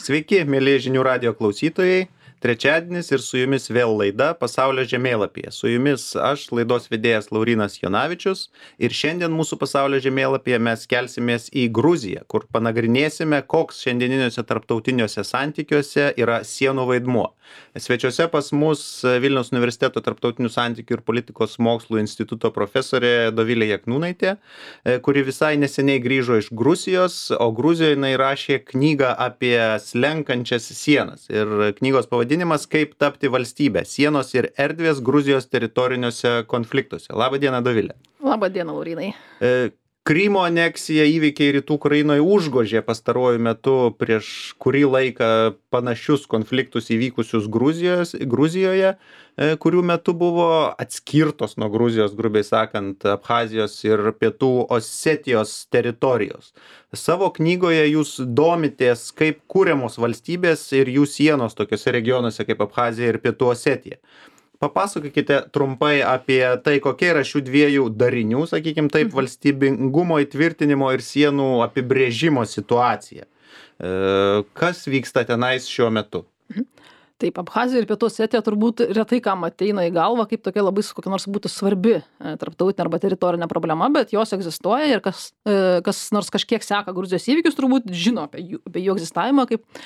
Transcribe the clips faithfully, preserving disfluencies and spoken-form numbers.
Sveiki, mėly žinių radio klausytojai. Trečiadienis ir su jumis vėl laida Pasaulio žemėlapyje. Su jumis aš, laidos vedėjas Laurynas Jonavičius. Ir šiandien mūsų Pasaulio žemėlapyje mes kelsimės į Gruziją, kur panagrinėsime, koks šiandieniniuose tarptautiniuose santykiuose yra sienų vaidmuo. Svečiuose pas mus Vilniaus universiteto tarptautinių santykių ir politikos mokslų instituto profesorė Dovilė Jakniūnaitė, kuri visai neseniai grįžo iš Gruzijos, o Gruzijoje jinai rašė knygą apie slenkančias sienas. Ir knygos pavadinimas Kaip tapti valstybę. Sienos ir erdvės Gruzijos teritoriniuose konfliktuose. Labą dieną, Dovilė. Labą dieną, Laurynai. E, Krymo aneksija įvykiai rytų Ukrainoje užgožė pastaruoju metu prieš kurį laiką panašius konfliktus įvykusius Gruzijos, Gruzijoje, e, kurių metu buvo atskirtos nuo Gruzijos, grubiai sakant, Abchazijos ir Pietų Osetijos teritorijos. Savo knygoje jūs domitės, kaip kūriamos valstybės ir jų sienos tokiuose regionuose kaip Abchazija ir Pietų Osetija. Papasakokite trumpai apie tai, kokia yra šių dviejų darinių, sakykime taip, valstybingumo įtvirtinimo ir sienų apibrėžimo situacija. Kas vyksta tenais šiuo metu? Taip, Abchazija ir Pietų Osetija turbūt retai kam ateina į galvą, kaip tokia labai kokia nors būtų svarbi tarptautinė arba teritorinė problema, bet jos egzistuoja ir kas, kas nors kažkiek seka Gruzijos įvykius, turbūt žino apie jų, apie jų egzistavimą. Kaip...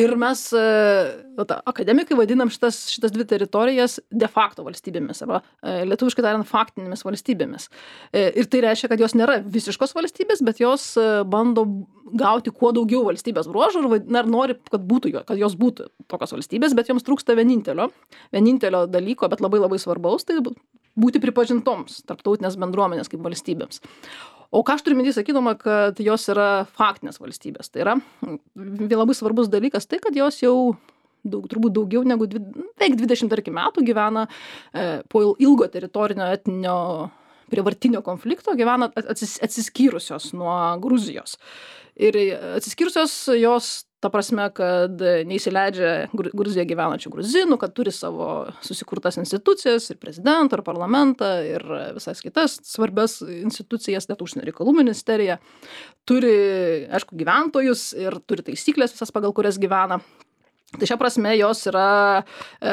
Ir mes, ta, akademikai, vadinam šitas, šitas dvi teritorijas de facto valstybėmis, arba lietuviškai tariant faktinėmis valstybėmis. Ir tai reiškia, kad jos nėra visiškos valstybės, bet jos bando gauti kuo daugiau valstybės bruožų ir na, nori, kad, būtų, kad jos būtų tokios valstybės, bet joms trūksta vienintelio, vienintelio dalyko, bet labai labai svarbaus, tai būti pripažintoms tarptautinės bendruomenės kaip valstybėms. O ką aš turiu minty sakydama, kad jos yra faktinės valstybės. Tai yra labai svarbus dalykas tai, kad jos jau daug, turbūt daugiau negu beveik dvidešimt tarkim, metų gyvena e, po ilgo teritorinio etninio prievartinio konflikto, gyvena atsis, atsiskyrusios nuo Gruzijos. Ir atsiskyrusios jos ta prasme, kad neįsileidžia Gruzijoje gyvenančių gruzinų, kad turi savo susikurtas institucijas ir prezidentą, ir parlamentą, ir visas kitas svarbias institucijas, net užsienio reikalų ministerija. Turi, aišku, gyventojus ir turi taisyklės visas, pagal kurias gyvena. Tai šia prasme jos yra,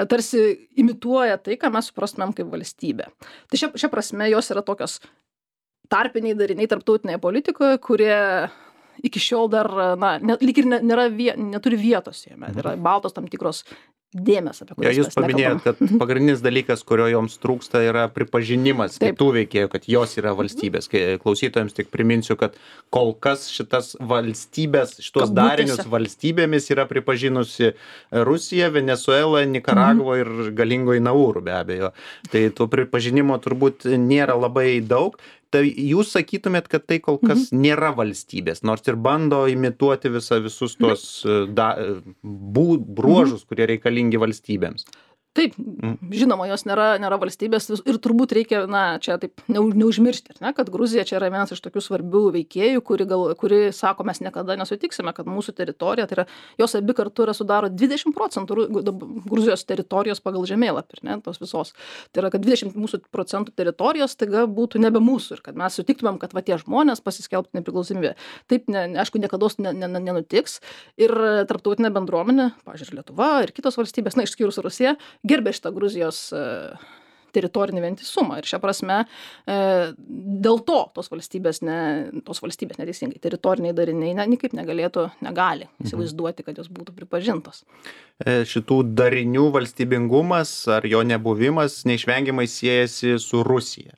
tarsi imituoja tai, ką mes suprastumėm kaip valstybė. Tai šia, šia prasme jos yra tokios tarpiniai dariniai tarptautinėje politikoje, kurie iki šiol dar, na, net, lyg ir nėra, neturi vietos jame. Yra baltos tam tikros dėmes, apie kurias ja, jūs paminėjot, kad pagrindinis dalykas, kurio joms trūksta, yra pripažinimas Taip. Kitų veikėjų, kad jos yra valstybės. Klausytojams tik priminsiu, kad kol kas šitas valstybės, šitos darinius valstybėmis yra pripažinusi Rusija, Venezuela, Nikaragva mm. ir galingoji Nauru, be abejo. Tai to pripažinimo turbūt nėra labai daug. Tai jūs sakytumėt, kad tai kol kas mhm. nėra valstybės, nors ir bando imituoti visą, visus tuos da, bū, bruožus, kurie reikalingi valstybėms. Taip, žinoma, jos nėra, nėra valstybės ir turbūt reikia, na, čia taip neužmiršti, ne, kad Gruzija čia yra vienas iš tokių svarbių veikėjų, kuri, gal, kuri sako, mes niekada nesutiksime, kad mūsų teritorija, tai yra, jos abi kartu yra sudaro dvidešimt procentų Gruzijos teritorijos pagal žemėlapį, ne, tos visos. Tai yra, kad dvidešimt mūsų procentų teritorijos taiga būtų nebe mūsų ir kad mes sutiktumėm, kad va tie žmonės pasiskelbtų nepriklausomybę. Taip, ne, aišku, niekados ne, ne, nenutiks ir tarptautinė bendruomenė, pavyzdžiui, Lietuva ir kitos valstybės, na, išskyrus Rusiją, gerbė šitą Gruzijos e, teritorinį vientisumą. Ir šią prasme e, dėl to tos valstybės, ne, tos valstybės neteisingai, teritoriniai dariniai ne, nikaip negalėtų, negali įsivaizduoti, kad jos būtų pripažintos. E, šitų darinių valstybingumas ar jo nebuvimas neišvengiamai siejasi su Rusija.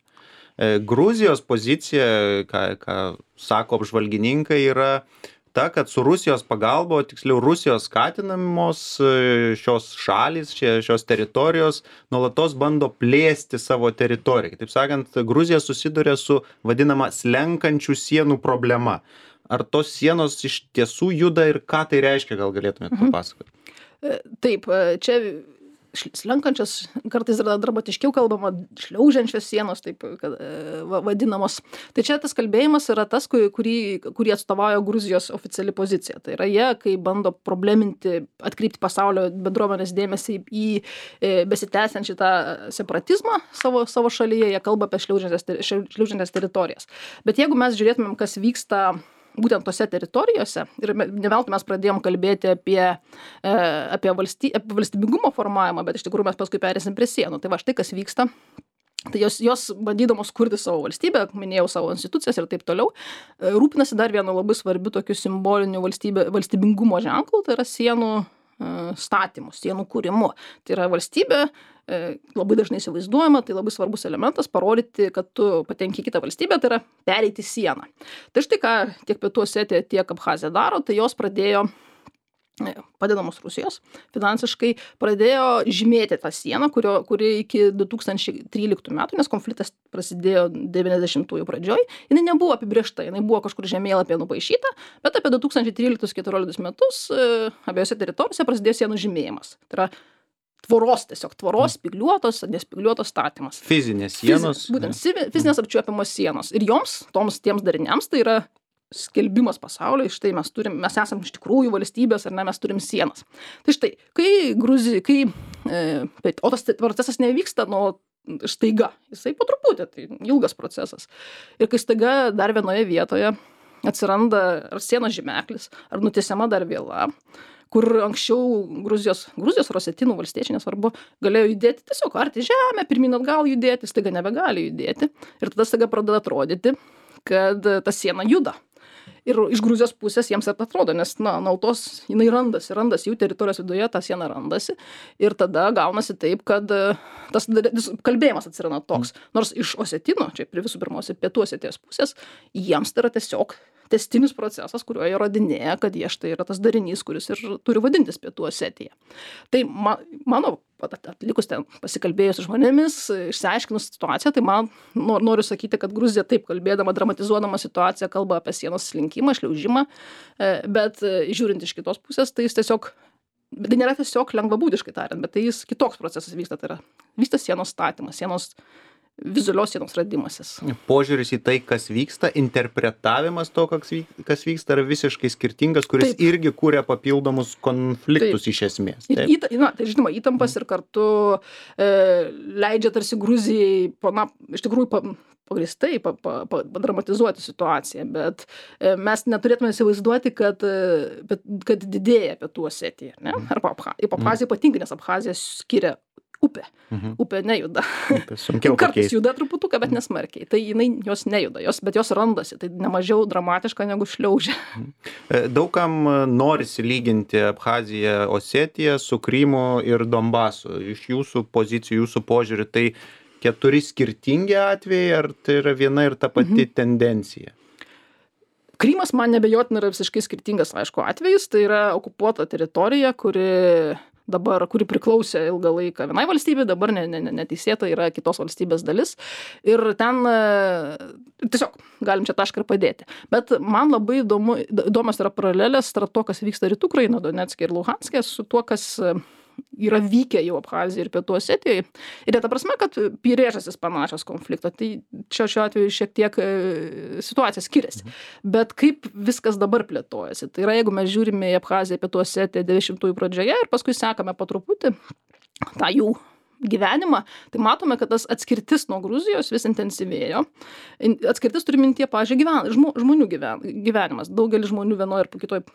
E, Gruzijos pozicija, ką, ką sako apžvalgininkai, yra ta, kad su Rusijos pagalba, o tiksliau Rusijos skatinamos šios šalys, šios teritorijos nuolatos bando plėsti savo teritoriją. Taip sakant, Gruzija susiduria su vadinama slenkančių sienų problema. Ar tos sienos iš tiesų juda ir ką tai reiškia, gal galėtumėte papasakoti? Taip, čia slenkančios, kartais dramatiškiau kalbama, šliaužiančios sienos, taip kad, vadinamos. Tai čia tas kalbėjimas yra tas, kurį, kurį atstovauja Gruzijos oficiali pozicija. Tai yra jie, kai bando probleminti, atkreipti pasaulio bendruomenės dėmesį į besitęsiančią tą separatizmą savo, savo šalyje, jie kalba apie šliaužiančias, šliaužiančias teritorijas. Bet jeigu mes žiūrėtumėm, kas vyksta būtent tose teritorijose, ir ne veltui mes pradėjom kalbėti apie, e, apie, valsty, apie valstybingumo formavimą, bet iš tikrųjų mes paskui perėsim prie sienų. Tai va štai kas vyksta. Tai jos, jos bandydamos kurti savo valstybę, minėjau savo institucijas ir taip toliau, rūpinasi dar vienu labai svarbiu tokiu simboliniu valstybė, valstybingumo ženklu, tai yra sienų statymu, sienų kūrimu. Tai yra valstybė, labai dažnai įsivaizduojama, tai labai svarbus elementas parodyti, kad tu patenki į kitą valstybę, tai yra pereiti sieną. Tai štai ką tiek Pietų Osetija, tiek Abchazija daro, tai jos pradėjo, padedamos Rusijos, finansiškai pradėjo žymėti tą sieną, kurio, kuri iki du tūkstančiai tryliktų metų, nes konfliktas prasidėjo devyniasdešimtųjų pradžioj, jinai nebuvo apibrėžta, jinai buvo kažkur žemėlapyje nupaišyta, bet apie du tūkstančiai tryliktus keturioliktus metus abiejose teritorijose prasidėjo sienų žymėjimas. Tai yra tvoros, tiesiog tvoros, spygliuotos, nespigliuotos statymas. Fizinės sienos. Fiz, būtent fizinės apčiuopiamos sienos. Ir joms, toms tiems dariniams, tai yra skelbimas pasaulyje, štai mes turim, mes esam iš tikrųjų valstybės, ar ne, mes turim sienas. Tai štai, kai Gruzija, kai, e, o tas procesas nevyksta nuo staiga, jisai po truputį, tai ilgas procesas. Ir kai staiga dar vienoje vietoje atsiranda ar sienos žymeklis, ar nutiesiama dar viela, kur anksčiau Gruzijos, Gruzijos Rosetinų valstiečiai, nesvarbu, galėjo judėti tiesiog arti žemę, pirmyn atgal judėti, staiga nebegali judėti. Ir tada staiga pradeda atrodyti, kad ta siena juda. Ir iš Gruzijos pusės jiems taip atrodo, nes, na, nautos, jinai randasi, randasi, jų teritorijos viduje ta siena randasi. Ir tada gaunasi taip, kad tas kalbėjimas atsiranda toks. Nors iš Osetino, čia prie visų pirmiausia Pietų Osetijos pusės, jiems tai yra tiesiog tęstinis procesas, kuriuo jie rodinėja, kad jie štai yra tas darinys, kuris ir turi vadintis Pietų Osetija. Tai ma, mano atlikus ten pasikalbėjus su žmonėmis, išsiaiškinus situaciją, tai man noriu sakyti, kad Gruzija taip kalbėdama, dramatizuodama situaciją, kalba apie sienos slinkimą, šliaužimą, bet žiūrint iš kitos pusės, tai jis tiesiog, tai nėra tiesiog lengvabūdiškai tariant, bet tai jis kitoks procesas vyksta, tai yra vyksta sienos statymas, sienos vizualios sienos radimasis. Požiūris į tai, kas vyksta, interpretavimas to, kas vyksta, yra visiškai skirtingas, kuris taip. Irgi kūrė papildomus konfliktus taip. Iš esmės. Taip. Į, na, tai žinoma, įtampas ir kartu e, leidžia tarsi Gruzijai, na, iš tikrųjų, pa, pagristai pa, pa, pa, padramatizuoti situaciją, bet e, mes neturėtume įsivaizduoti, kad, e, kad didėja Pietų Osetija, ne? Arba Abchazija, Abchazija ypatingai, nes Abchazija skiria upė. Mhm. Upė nejuda. Upė sunkiau kartais pakeisti. Juda truputuką, bet nesmarkiai. Tai jinai jos nejuda, jos, bet jos randasi. Tai nemažiau dramatiška negu šliaužia. Daugam norisi lyginti Abchaziją, Osetiją su Krymu ir Donbasu. Iš jūsų pozicijų, jūsų požiūrį, tai keturi skirtingi atvejai, ar tai yra viena ir ta pati mhm. tendencija? Krymas man nebejotinai yra visiškai skirtingas, aišku, atvejis. Tai yra okupuota teritorija, kuri dabar, kuri priklausė ilgą laiką vienai valstybei, dabar ne, ne, neteisėta yra kitos valstybės dalis. Ir ten tiesiog galim čia tašką ir padėti. Bet man labai įdomu, įdomios yra paralelės tarp to, kas vyksta rytų Ukrainoje, Donecke ir Luhanske, su tuo, kas yra vykę jau Abchazijai ir Pietų Osetijai. Ir ta prasme, kad priežastys panašios konflikto. Tai čia šiuo atveju šiek tiek situacija skiriasi. Bet kaip viskas dabar plėtojasi? Tai yra, jeigu mes žiūrime į Abchaziją, Pietų Osetiją devyniasdešimtųjų pradžioje ir paskui sekame po truputį tą jų gyvenimą, tai matome, kad tas atskirtis nuo Gruzijos vis intensyvėjo. Atskirtis turi mintyje, pavyzdžiui, gyven, žmonių gyven, gyvenimas. Daugelis žmonių vienoje ir kitoje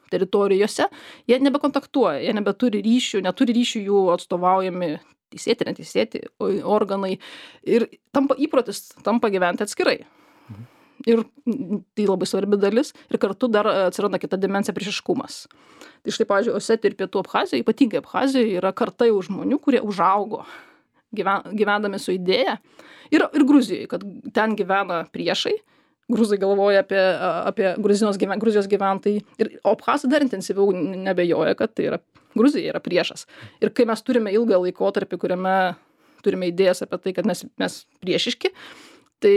teritorijose, jie nebekontaktuoja, jie nebeturi ryšių, neturi ryšių jų atstovaujami teisėti, neteisėti organai ir tampa įprotis, tampa gyventi atskirai. Mhm. Ir tai labai svarbi dalis ir kartu dar atsiranda kita dimensija priešiškumas. Tai štai, pavyzdžiui, Osetija ir Pietų Abchazija, ypatingai Abchazija, yra karta jau žmonių, kurie užaugo gyven, gyvendami su idėja ir, ir Gruzijoje, kad ten gyvena priešai. Gruzai galvoja apie, apie Gruzijos, gyven, Gruzijos gyventojai. Ir Abchazai dar intensyviau nebejoja, kad tai yra Gruzija yra priešas. Ir kai mes turime ilgą laikotarpį, kuriame turime idėjas apie tai, kad mes, mes priešiški, tai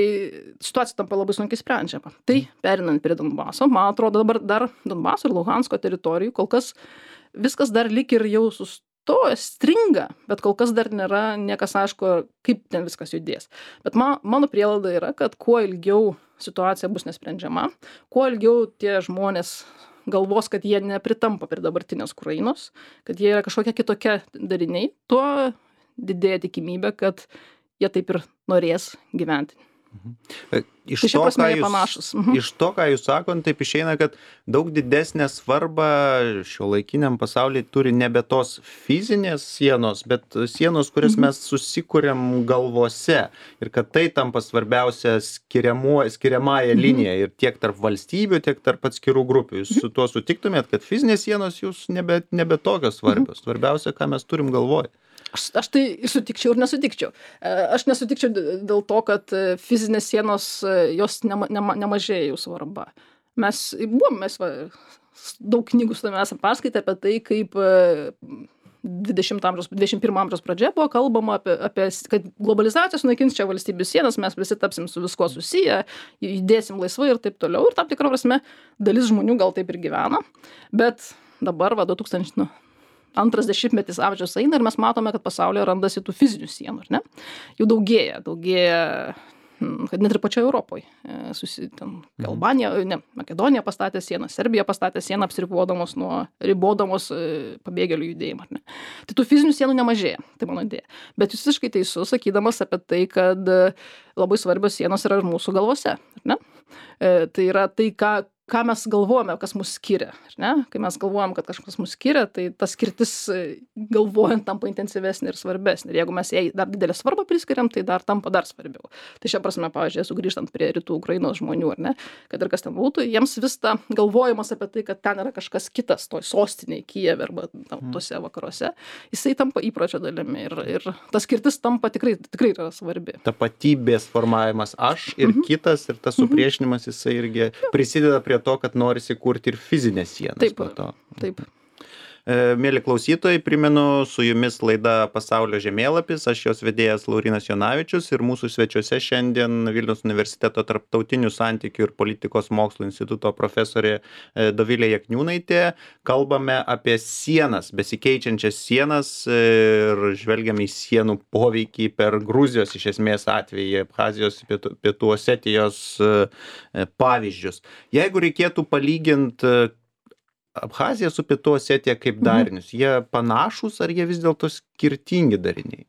situacija tampa labai sunkiai sprendžiama. Tai perinant prie Donbaso, man atrodo dabar dar Donbaso ir Luhansko teritorijų, kol kas viskas dar lik ir jau sustoja. To stringa, bet kol kas dar nėra niekas aišku, kaip ten viskas judės. Bet man, mano prielaida yra, kad kuo ilgiau situacija bus nesprendžiama, kuo ilgiau tie žmonės galvos, kad jie nepritampa prie dabartinės Ukrainos, kad jie yra kažkokie kitokie dariniai, tuo didėja tikimybė, kad jie taip ir norės gyventi Iš Tai šia to, prasme ką jie jūs, panašūs. Mhm. iš to, ką jūs sakot, taip išeina, kad daug didesnę svarbą šiuolaikiniam pasaulyje turi nebe tos fizinės sienos, bet sienos, kurias Mhm. mes susikuriam galvose. Ir kad tai tampa svarbiausia skiriamuo- skiriamąją Mhm. liniją ir tiek tarp valstybių, tiek tarp atskirų grupių. Jūs su tuo sutiktumėt, kad fizinės sienos jūs nebe, nebe tokios svarbios. Svarbiausia, ką mes turim galvoj. Aš, aš tai sutikčiau ir nesutikčiau. E, Aš nesutikčiau d- dėl to, kad e, fizinės sienos, e, jos nema, nema, nemažėja jų svarba. Mes buvom, mes va, s- daug knygų su tavimi esam paskaitę apie tai, kaip e, dvidešimto amžiaus, dvidešimt pirmo amžiaus pradžioje buvo kalbama apie, apie, s- kad globalizacija sunaikins čia valstybių sienas, mes visi tapsim su viskuo susiję, judėsim laisvai ir taip toliau. Ir tam tikrą prasme dalis žmonių gal taip ir gyvena. Bet dabar, va, du tūkstančiai, nu, antras dešimtmetis amžiaus eina ir mes matome, kad pasaulyje randasi tų fizinių sienų, ar ne? Jų daugėja, daugėja, mm, kad net ir pačioje Europoje. E, Susi, ten, Albanija, ne, Makedonija pastatė sieną, Serbija pastatė sieną apsiribodamos nuo, ribodamos e, pabėgėlių judėjimą, ar ne? Tai tų fizinių sienų nemažėja, tai mano idėja. Bet jūs visiškai teisus, sakydamas apie tai, kad e, labai svarbios sienos yra ir mūsų galvose, ar ne? E, Tai yra tai, ką ką mes galvojame, kas mus skiria, ar ne? Kai mes galvojam, kad kažkas mus skiria, tai ta skirtis e, galvojant tampa intensyvesnė ir svarbesnė. Ir jeigu mes jai dar didelę svarbą priskiriam, tai dar tampa dar svarbiau. Tai šia prasme, pavyzdžiui, sugrįžtant prie rytų Ukrainos žmonių, ar ne, kad ir kas ten būtų, jiems vis ta galvojimas apie tai, kad ten yra kažkas kitas, toj sostinėje, Kijeve arba tam, tose vakaruose, jisai tampa įpročio dalimi. Ir, ir ta skirtis tampa tikrai, tikrai yra svarbi. Tapatybės formavimas aš ir kitas ir tas supriešinimas jisai irgi prisideda prie to, kad norisi kurti ir fizinės sienas. Taip, po to. taip. E, Mėly klausytojai, primenu, su jumis laida Pasaulio žemėlapis, aš jos vedėjas Laurinas Jonavičius ir mūsų svečiuose šiandien Vilniaus universiteto tarptautinių santykių ir politikos mokslų instituto profesorė e, Dovilė Jakniūnaitė. Kalbame apie sienas, besikeičiančias sienas ir žvelgiame į sienų poveikį per Gruzijos iš esmės atvejį, Abchazijos, Pietų, Pietų Osetijos e, pavyzdžius. Jeigu reikėtų palyginti Abchaziją su Pietų Osetija kaip darinius, jie panašūs ar jie vis dėlto skirtingi dariniai?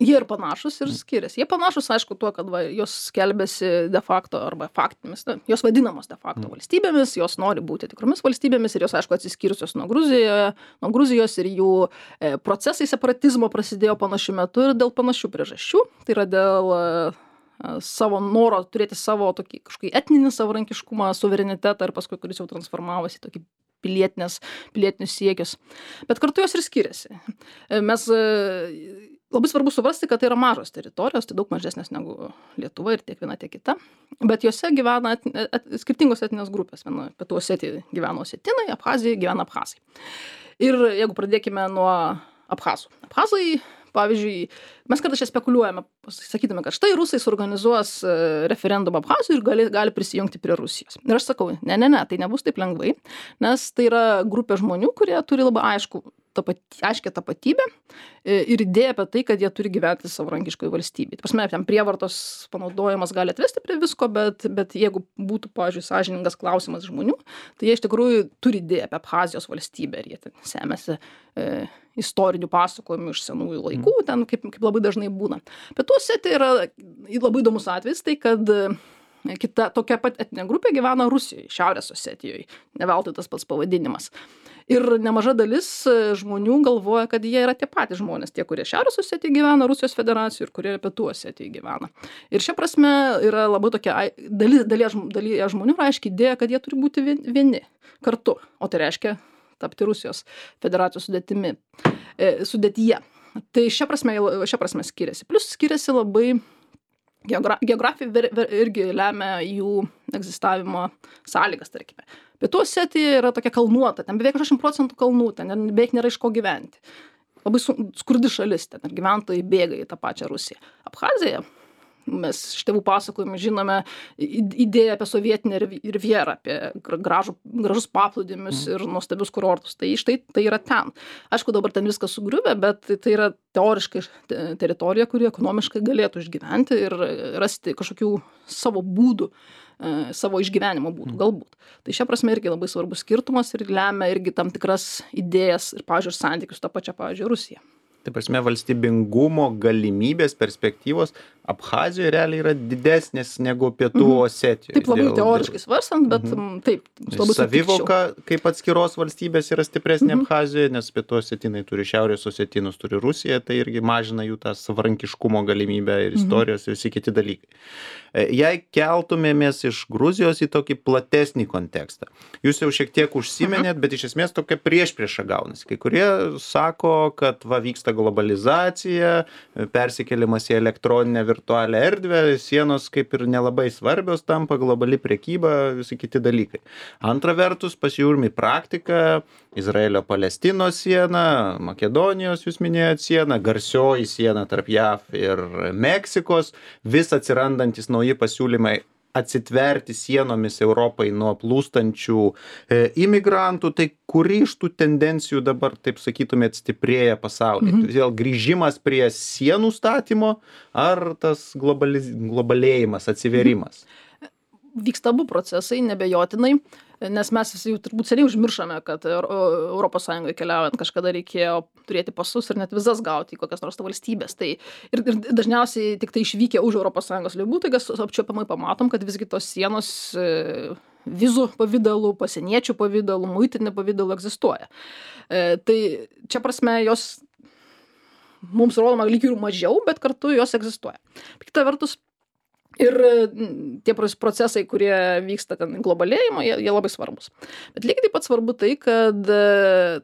Jie ir panašūs ir skiriasi. Jie panašūs, aišku, tuo, kad va, jos skelbiasi de facto arba faktinėmis, na, jos vadinamos de facto Mm. valstybėmis, jos nori būti tikromis valstybėmis ir jos, aišku, atsiskyrusios nuo Gruzijoje, nuo Gruzijos ir jų e, procesai separatizmo prasidėjo panašiu metu ir dėl panašių priežasčių. Tai yra dėl e, savo noro turėti savo tokį kažkokį etninį savarankiškumą, suverenitetą ir paskui, kuris jau transformavosi į tokį pilietinės, pilietinius siekius. Bet kartu jos ir skiriasi. E, Mes e, labai svarbu suprasti, kad tai yra mažos teritorijos, tai daug mažesnės negu Lietuva ir tiek viena, tiek kita. Bet jose gyvena et, et, skirtingos etinės grupės. Viena Pietų Osetijoje gyvena osetinai, Abchazijoje gyvena abchazai. Ir jeigu pradėkime nuo abchazų. Abchazai, pavyzdžiui, mes kartais čia spekuliuojame, sakydami, kad štai rusai suorganizuos e, referendumą Abchazijoj ir gali, gali prisijungti prie Rusijos. Ir aš sakau, ne, ne, ne, tai nebus taip lengvai, nes tai yra grupė žmonių, kurie turi labai aišku tapatybę, aiškią tapatybę e, ir idėją apie tai, kad jie turi gyventi savarankiškoje valstybėje. Tai prasme, ten prievartos panaudojimas gali atvesti prie visko, bet, bet jeigu būtų, pavyzdžiui, sąžiningas klausimas žmonių, tai jie iš tikrųjų turi idėją apie Abchazijos valstybę ir jie ten semėsi e, istorinių pasakojimų iš senųjų laikų, ten kaip, kaip labai dažnai būna. Pietų Osetija yra labai įdomus atvejis, tai kad e, kita tokia pat etinė grupė gyvena Rusijoje, Šiaurės Osetijoje, ne veltui tas pats pavadinimas. Ir nemaža dalis e, žmonių galvoja, kad jie yra tie patys žmonės, tie, kurie Šiaurės Osetijoje gyvena, Rusijos federacijoje ir kurie Pietų Osetijoje gyvena. Ir šia prasme yra labai tokia ai- dalis, dalis, dalis žmonių yra aiškiai idėja, kad jie turi būti vien- vieni kartu, o tai reiškia tapti Rusijos federacijos sudėtimi, e, sudėtyje. Tai šia prasme, šia prasme skiriasi. Plus skiriasi labai geogra geografija ver, ver, irgi lemia jų egzistavimo sąlygas, tarkime. Pietų Osetija yra tokia kalnuota, ten beveik aštuoniasdešimt procentų kalnų, ten beveik nėra iš ko gyventi. Labai su, skurdi šalis, ten ir gyventojai bėga į tą pačią Rusiją. Abchazija, mes iš tėvų pasakojimų žinome idėją apie sovietinę rivjerą, apie gražų, gražus paplūdimius ir nuostabius kurortus. Tai štai tai yra ten. Aišku, dabar ten viskas sugriuvę, bet tai yra teoriškai teritorija, kuri ekonomiškai galėtų išgyventi ir rasti kažkokių savo būdų, savo išgyvenimo būdų, galbūt. Tai šia prasme irgi labai svarbus skirtumas ir lemia irgi tam tikras idėjas ir, pavyzdžiui, santykius tą pačią, pavyzdžiui, Rusiją. Tai prasme, valstybingumo galimybės, perspektyvos Abchazijoje realiai yra didesnės negu Pietų Mhm. Osetijoje. Taip labai Dėl- teoriškai svarstant, bet Mhm. mm, taip, labai sutikčiau. Savivoka kaip atskiros valstybės yra stipresnė Mhm. Abchazijoje, nes Pietų Osetinai turi Šiaurės Osetinus, turi Rusiją, tai irgi mažina jų tą savarankiškumo galimybę ir istorijos ir visi kiti dalykai. E, Jei keltumėmės iš Gruzijos į tokį platesnį kontekstą, jūs jau šiek tiek užsimenėt, bet iš esmės tokia priešprieša gaunasi. Kai kurie sako, kad va vyksta globalizacija, persikėlimas į elektroninę virtualią erdvę, sienos kaip ir nelabai svarbios tampa, globali prekyba, visi kiti dalykai. Antra vertus, pasižiūrim į praktiką, Izraelio-Palestinos siena, Makedonijos, jūs minėjot sieną, garsioji siena tarp J A V ir Meksikos, vis atsirandantis nauji pasiūlymai atsitverti sienomis Europai nuo plūstančių e, imigrantų, tai kuri iš tų tendencijų dabar, taip sakytumėt, stiprėja pasaulyje? Mhm. Vėl grįžimas prie sienų statymo ar tas globaliz... globalėjimas, atsiverimas? Mhm. Vyksta abu procesai, nebejotinai, nes mes visi jau turbūt seniai užmiršome, kad Europos Sąjungoje keliaujant kažkada reikėjo turėti pasus ir net vizas gauti į kokias nors valstybės. Tai ir, ir dažniausiai tik tai išvykę už Europos Sąjungos ribų, tai apčiuopiamai pamatom, kad visgi tos sienos e, vizų pavydalų, pasieniečių pavydalų, muitinė pavydalų egzistuoja. E, tai čia prasme jos mums rodoma lyg ir mažiau, bet kartu jos egzistuoja. Kita vertus, ir tie procesai, kurie vyksta ten globalėjimo, jie, jie labai svarbus. Bet lygiai taip pat svarbu tai, kad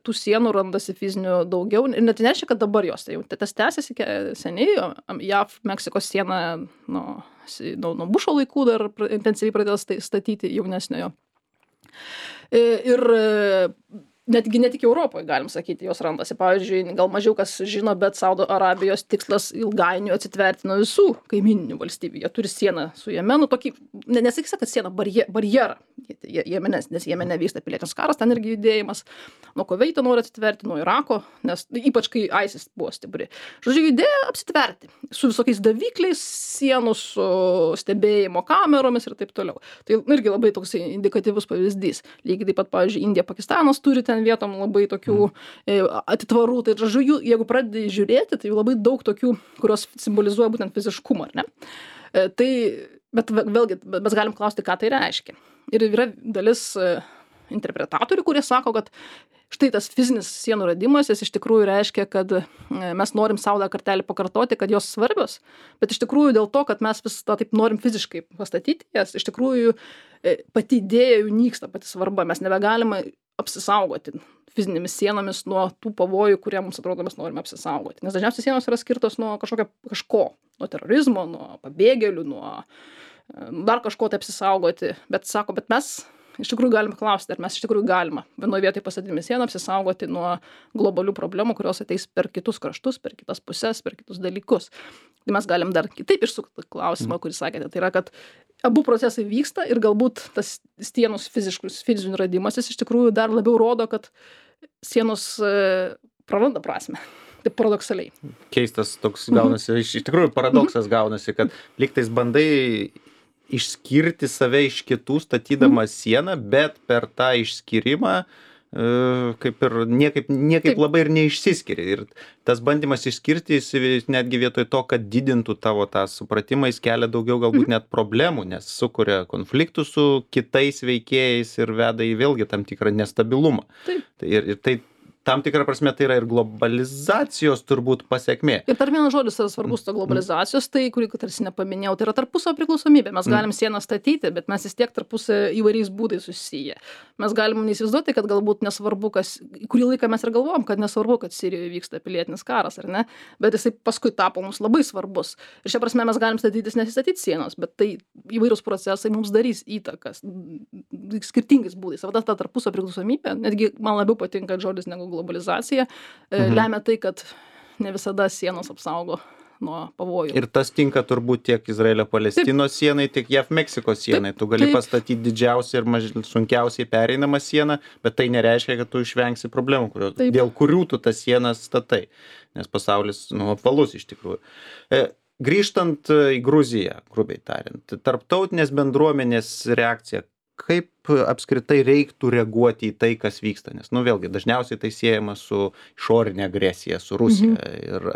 tų sienų randasi fizinių daugiau. Ir net nereiškia, kad dabar jos. Tai jau tas tęsiasi seniai. J A V Meksikos siena nuo, nuo, nuo Bušo laikų dar intensyviai pradėjo statyti jaunesniojo. Ir netgi ne tik Europoje, galim sakyti, jos randasi. Pavyzdžiui, gal mažiau kas žino, bet Saudo Arabijos tikslas ilgainiui atsitverti nuo visų kaimininių valstybių. Jie turi sieną su Jemenu, tokį, nesakysi, kad sieną, barje, barjerą. Jemene, nes Jemene vyksta pilietinis karas, ten irgi judėjimas. Nuo Kuveito nori atsitverti, nuo Irako, nes ypač kai ISIS buvo stipri. Žodžiu, idėja apsitverti su visokiais davikliais, sienų, su stebėjimo kameromis ir taip toliau. Tai irgi labai toks indikatyvus pavyzdys. Lygiai taip pat, pavyzdžiui, Indija, Pakistanas turi ten vietom labai tokių atitvarų. Tai žodžiu, jeigu pradedi žiūrėti, tai labai daug tokių, kurios simbolizuoja būtent fiziškumą, ar ne? Tai, bet vėlgi, mes galim klausti, ką tai reiškia. Ir yra dalis interpretatorių, kurie sako, kad štai tas fizinis sienų radimas, jis iš tikrųjų reiškia, kad mes norim sau dar kartelį pakartoti, kad jos svarbios, bet iš tikrųjų dėl to, kad mes vis tą taip norim fiziškai pastatyti, jas iš tikrųjų pati idėja jų nyksta, pati svarba. Mes nebegalime apsisaugoti fizinėmis sienomis nuo tų pavojų, kurie mums atrodo mes norime apsisaugoti. Nes dažniausiai sienos yra skirtos nuo kažkokio kažko, nuo terorizmo, nuo pabėgėlių, nuo dar kažko tai apsisaugoti. Bet sako, bet mes iš tikrųjų galime klausti, ar mes iš tikrųjų galime vienoje vietoje pastatydami sieną apsisaugoti nuo globalių problemų, kurios ateis per kitus kraštus, per kitas pusės, per kitus dalykus. Tai mes galim dar kitaip išsukti klausimą, kurį sakėte. Tai yra, kad abu procesai vyksta ir galbūt tas sienos fiziškus, fizinių radimasis iš tikrųjų dar labiau rodo, kad sienos e, praranda prasme. Taip paradoksaliai. Keistas toks gaunasi, mhm. iš tikrųjų paradoksas gaunasi, kad lygtais bandai išskirti save iš kitų statydamas mhm. sieną, bet per tą išskyrimą kaip ir niekaip, niekaip Taip. labai ir neišsiskiria. Ir tas bandymas išskirti netgi vietoj to, kad didintų tavo tą supratimą, jis kelia daugiau galbūt net problemų, nes sukuria konfliktų su kitais veikėjais ir veda į vėlgi tam tikrą nestabilumą. Taip. Tai ir, ir tai tam tikrą prasme tai yra ir globalizacijos turbūt pasekmė. Ir dar vienas žodis yra svarbus to globalizacijos, tai kurį tarsi nepaminėjau, tai yra tarpusavio priklausomybė. Mes galim sieną statyti, bet mes vis tiek tarpusavio įvairiais būdais susiję. Mes galim neįsivaizduoti, kad galbūt nesvarbu, kas, kurį laiką mes ir galvojom, kad nesvarbu, kad Sirijoje vyksta pilietinis karas, ar ne, bet jisai paskui tapo mums labai svarbus. Ir šia prasme mes galim statytis, nesistatyti sienos, bet tai įvairūs procesai mums darys įtakas skirtingais būdais. O ta tarpusavio priklausomybė, netgi man labiau patinka žodis negu globalizacija, mhm. lemia tai, kad ne visada sienos apsaugo nuo pavojų. Ir tas tinka turbūt tiek Izraelio-Palestinos sienai, tiek J A V-Meksikos sienai. Taip, tu gali taip. pastatyti didžiausią ir maž... sunkiausiai pereinamą sieną, bet tai nereiškia, kad tu išvengsi problemų, kurio... dėl kurių tu tas sienas statai, nes pasaulis nu, apvalus iš tikrųjų. E, grįžtant į Gruziją, grubiai tariant, tarptautinės bendruomenės reakcija, kaip apskritai reiktų reaguoti į tai, kas vyksta? Nes, nu, vėlgi, dažniausiai tai siejama su išorinė agresija, su Rusija. Mhm. Ir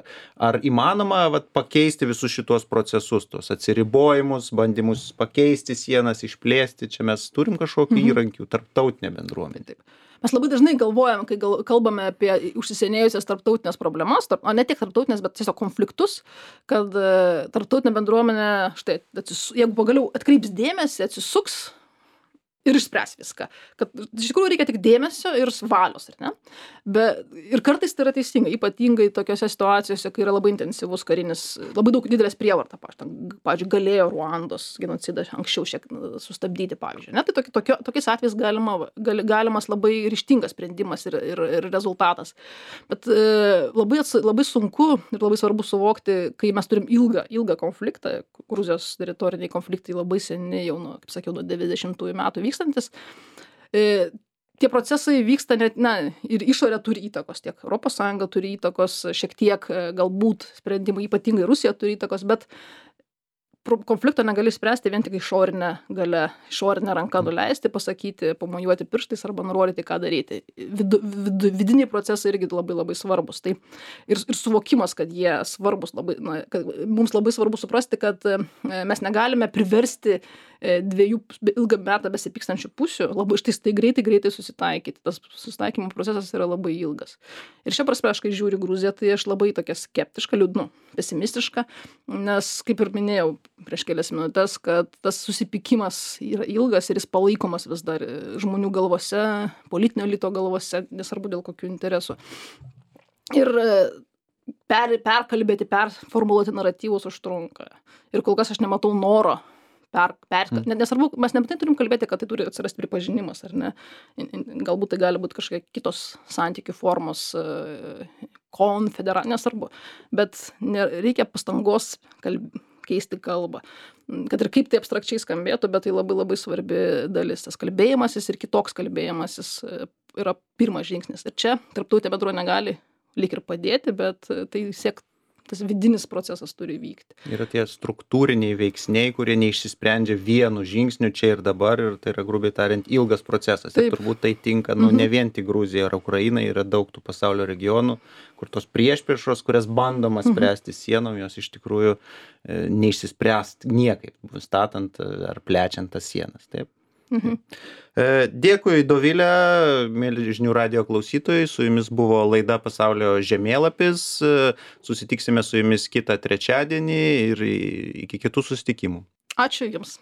ar įmanoma vat, pakeisti visus šitos procesus, tos atsiribojimus, bandymus pakeisti sienas, išplėsti? Čia mes turim kažkokių mhm. įrankių, tarptautinė bendruomenė. Taip. Mes labai dažnai galvojam, kai gal, kalbame apie užsisenėjusias tarptautinės problemas, tarp, o ne tiek tarptautinės, bet tiesiog konfliktus, kad e, tarptautinė bendruomenė, štai, atsis, jeigu pagaliau atkreips dėmesį, atsisuks ir išspręs viską. Kad iš tikrųjų reikia tik dėmesio ir valios, ar ne? Be, ir kartais tai yra teisinga, ypatingai tokiose situacijose, kai yra labai intensyvus karinis, labai daug didelės prievarta, pavyzdžiui, galėjo Ruandos genocidą anksčiau šiek sustabdyti, pavyzdžiui. Ne? Tai toki, tokio, tokiais atvejais galima, gali, galimas labai ryžtingas sprendimas ir, ir, ir rezultatas. Bet e, labai, labai sunku ir labai svarbu suvokti, kai mes turim ilgą, ilgą konfliktą, Gruzijos teritoriniai konfliktai labai seniai, jau nuo, kaip sakiau, nuo devyniasdešimtųjų metų vykstantis, e, tie procesai vyksta net, na, ir išorė turi įtakos, tiek Europos Sąjunga turi įtakos, šiek tiek galbūt sprendimai, ypatingai Rusija turi įtakos, bet konflikto negali spręsti vien tik išorinę galę, išorinę ranką nuleisti, pasakyti, pamojuoti pirštais arba nurodyti, ką daryti. Vidu, vidu, vidiniai procesai irgi labai labai svarbus. Tai ir, ir suvokimas, kad jie svarbus, labai, na, kad mums labai svarbu suprasti, kad mes negalime priversti dviejų ilgą metą besipykstančių pusių labai štai tai greitai, greitai susitaikyti. Tas susitaikymo procesas yra labai ilgas. Ir šia prasme, aš kai žiūriu Gruziją, tai aš labai tokia skeptiška, liūdnu, pesimistiška, nes, kaip ir minėjau prieš kelias minutės, kad tas susipykimas yra ilgas ir jis palaikomas vis dar žmonių galvose, politinio elito galvose, nesvarbu dėl kokių interesų. Ir per, perkalbėti, performuluoti naratyvus užtrunka. Ir kol kas aš nematau noro per, per, net nesvarbu, mes nebūtinai turim kalbėti, kad tai turi atsirasti pripažinimas, ar ne? Galbūt tai gali būti kažkokie kitos santykių formos, konfedera, nesvarbu. Bet reikia pastangos kalb, keisti kalbą. Kad ir kaip tai abstrakčiai skambėtų, bet tai labai labai svarbi dalis. Tas kalbėjimasis ir kitoks kalbėjimasis yra pirmas žingsnis. Ir čia tarptautinė bendruomenė negali lyg ir padėti, bet tai siek tas vidinis procesas turi vykti. Yra tie struktūriniai veiksniai, kurie neišsisprendžia vienu žingsniu čia ir dabar, ir tai yra, grubiai tariant, ilgas procesas. Taip. Ir turbūt tai tinka, nu, ne vien tik Gruzija ar Ukraina, yra daug tų pasaulio regionų, kur tos priešpriešos, kurias bandoma spręsti sienom, jos iš tikrųjų e, neišsispręs niekaip, statant ar plečiant tas sienas. Taip. Mhm. Dėkui, Dovilė, mėly žinių radijo klausytojai, su jumis buvo laida Pasaulio žemėlapis, susitiksime su jumis kitą trečiadienį ir iki kitų susitikimų. Ačiū jums.